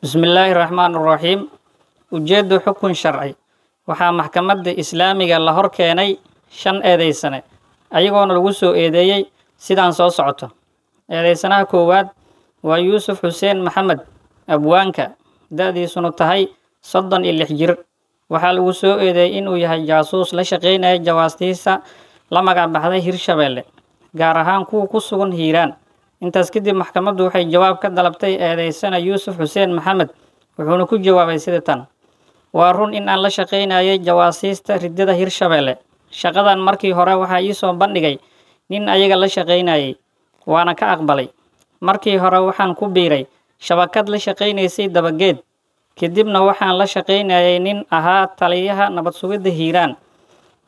Bismillaahi raxmaan raxiim. Ujeeddu xukun sharci. Waxaa maxkamadda islaamiga la hor keenay shan eedeysane, ayagoona lagu soo eedeeyey sidaan soo socoto. Eedeysanaha koowaad waa Yuusuf Xuseen Maxamed, abwaanka, da'diisuna tahay 36 jir. Waxaa lagu soo eedeeyey inuu yahay jaasuus la shaqeynaya jawaastiisa la magac baxday Hirshabeelle, gaar ahaan kuwa ku sugan Hiiraan. Intaas kadib maxkamaddu waxay jawaab ka dalabtay eedeysana Yuusuf Xuseen Maxamed, wuxuuna ku jawaabay sida tan: Waa run in aan la shaqeynayay jawaasiista riddada Hirshabeelle. Shaqadan markii hore waxaa ii soo bandhigay nin ayaga la shaqeynayay, waana ka aqbalay. Markii hore waxaan ku biiray shabakad la shaqeynaysay Dabageed, kadibna waxaan la shaqeynayay nin ahaa taliyaha nabad sugidda Hiiraan.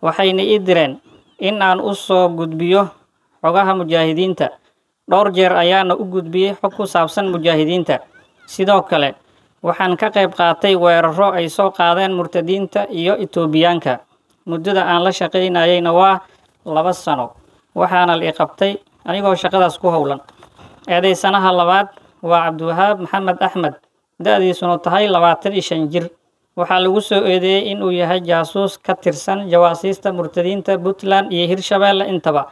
Waxayna ii direen in aan u soo gudbiyo xogaha mujaahidiinta. Dhowr jeer ayaana u gudbiyey xog ku saabsan mujaahidiinta. Sidoo kale waxaan ka qayb qaatay weeraro ay soo qaadeen murtadiinta iyo Itoobiyaanka. Muddada aan la shaqeynayayna waa 2 sano, waxaana la i qabtay anigoo shaqadaas ku howlan. Eedeysanaha labaad waa Cabdiwahaab Maxamed Axmed, da'diisuna tahay 25 jir. Waxaa lagu soo eedeeyey inuu yahay jaasuus ka tirsan jawaasiista murtadiinta Puntland iyo Hirshabeelle intaba.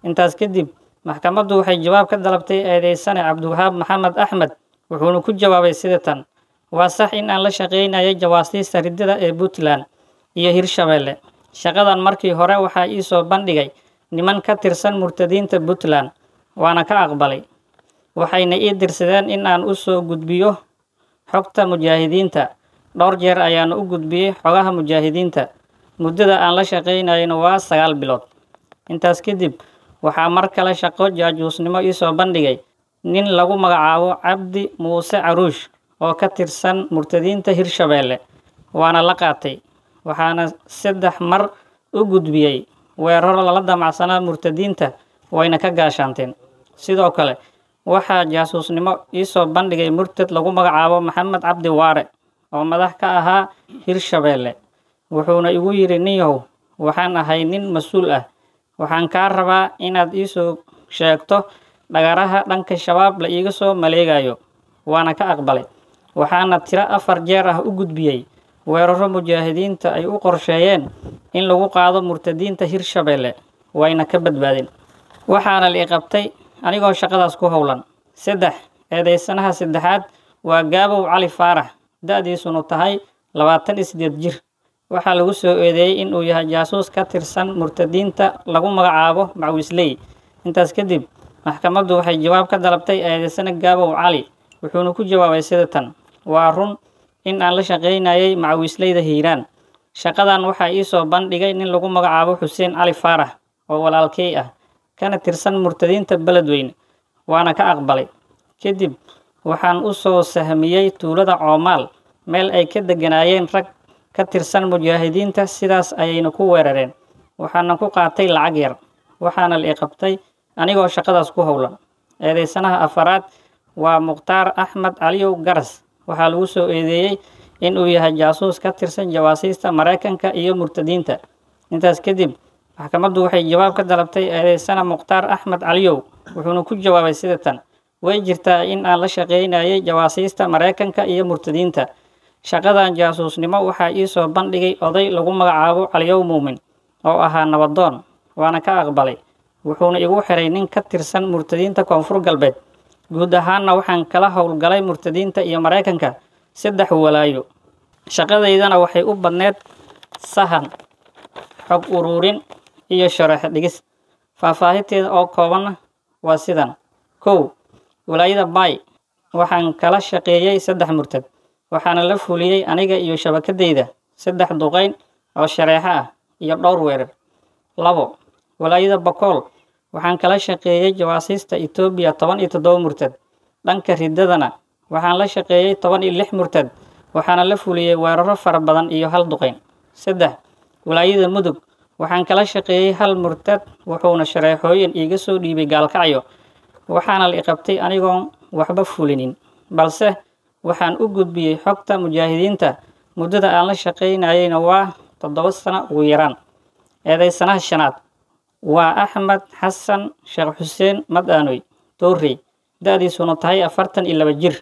Intaas kadib maxkamaddu waxay jawaab ka dalabtay eedeysane Cabdiwahaab Maxamed Axmed, wuxuuna ku jawaabay sida tan: Waa sax in aan la shaqeynayay jawaasiista riddada ee Puntland iyo Hirshabeelle. Shaqadan markii hore waxaa ii soo bandhigay niman ka tirsan murtadiinta Puntland, waana ka aqbalay. Waxayna ii dirsadeen in aan u soo gudbiyo xogta mujaahidiinta. Dhowr jeer ayaana u gudbiyey xogaha mujaahidiinta. Muddada aan la shaqeynayayna waa 9 bilood. Intaas kadib waxaa mar kale shaqo jaajuusnimo ii soo bandhigay nin lagu magacaabo Cabdi Muuse Caruush oo ka tirsan murtadiinta Hirshabeelle, waana la qaatay. Waxaana 3 mar u gudbiyey weeraro lala damacsanaa murtadiinta, wayna ka gaashaanteen. Sidoo kale waxaa jaasuusnimo ii soo bandhigay murtad lagu magacaabo Maxamed Cabdi Waare oo madax ka ahaa Hirshabeelle. Wuxuuna igu yidhi: Ninyahow, waxaan ahay nin mas-uul ah, waxaan kaa rabaa inaad ii soo sheegto dhagaraha dhanka shabaab la iiga soo maleegayo. Waana ka aqbalay. Waxaana tiro 4 jeer ah u gudbiyey weeraro mujaahidiinta ay u qorsheeyeen in lagu qaado murtadiinta Hirshabeelle, wayna ka badbaadeen. Waxaana la i qabtay anigoo shaqadaas ku howlan. 3. Eedeysanaha saddexaad waa Gaabow Cali Faarax, da'diisuna tahay 28 jir. Waxaa lagu soo eedeeyey inuu yahay jaasuus ka tirsan murtadiinta lagu magacaabo Macawisley. Intaas kadib maxkamaddu waxay jawaab ka dalabtay eedeysane Gaabow Cali, wuxuuna ku jawaabay sida tan: Waa run in aan la shaqeynayay Macawisleyda Hiiraan. Shaqadan waxaa ii soo bandhigay nin lagu magacaabo Xuseen Cali Faarax oo walaalkey ah, kana tirsan murtadiinta Beledweyne, waana ka aqbalay. Kadib waxaan u soo sahmiyey tuulada Coomaal, meel ay ka degganaayeen rag ka tirsan mujaahidiinta, sidaas ayayna ku weerareen. Waxaana ku qaatay lacag yar, waxaana la i qabtay anigoo shaqadaas ku howlan. Eedeysanaha afaraad waa Mukhtaar Axmed Caliyow Garas. Waxaa lagu soo eedeeyey inuu yahay jaasuus ka tirsan jawaasiista Maraykanka iyo murtadiinta. Intaas kadib maxkamaddu waxay jawaab ka dalabtay eedeysana Mukhtaar Axmed Caliyow, wuxuuna ku jawaabay sida tan: Way jirtaa in aan la shaqeynayay jawaasiista Maraykanka iyo murtadiinta. Shaqadan jaasuusnimo waxaa ii soo bandhigay oday lagu magacaabo Caliyow Muumin oo ahaa nabadoon, waana ka aqbalay. Wuxuuna igu xiray nin ka tirsan murtadiinta Koonfur Galbeed. Guud ahaanna waxaan kala howlgalay murtadiinta iyo Maraykanka 3 walaayo. Shaqadaydana waxay u badneed sahan, xog ururin iyo sharax dhigis. Faahfaahinteeda oo koobanna waa sidan: 1. Walaayada Bay waxaan kala shaqeeyey 3 murtad, waxaana la fuliyey aniga iyo shabakadayda 3 duqeyn oo shareeco ah iyo dhowr weerar. 2. Walaayada Bakool waxaan kala shaqeeyey jawaasiista Itoobiya 17 murtad. Dhanka riddadana waxaan la shaqeeyey 16 murtad, waxaana la fuliyey weeraro fara badan iyo 1 duqeyn. 3. Walaayada Mudug waxaan kala shaqeeyey 1 murtad, wuxuuna shareexooyin iiga soo dhiibay Gaalkacyo, waxaana la i qabtay anigoon waxba fulinin, balse waxaan u gudbiyey xogta mujaahidiinta. Muddada aan la shaqeynayayna waa 7 sano ugu yaraan. Eedeysanaha shanaad waa Axmed Xasan Sheekh Xuseen Madaanoy Toorey, da'diisuna tahay 42 jir.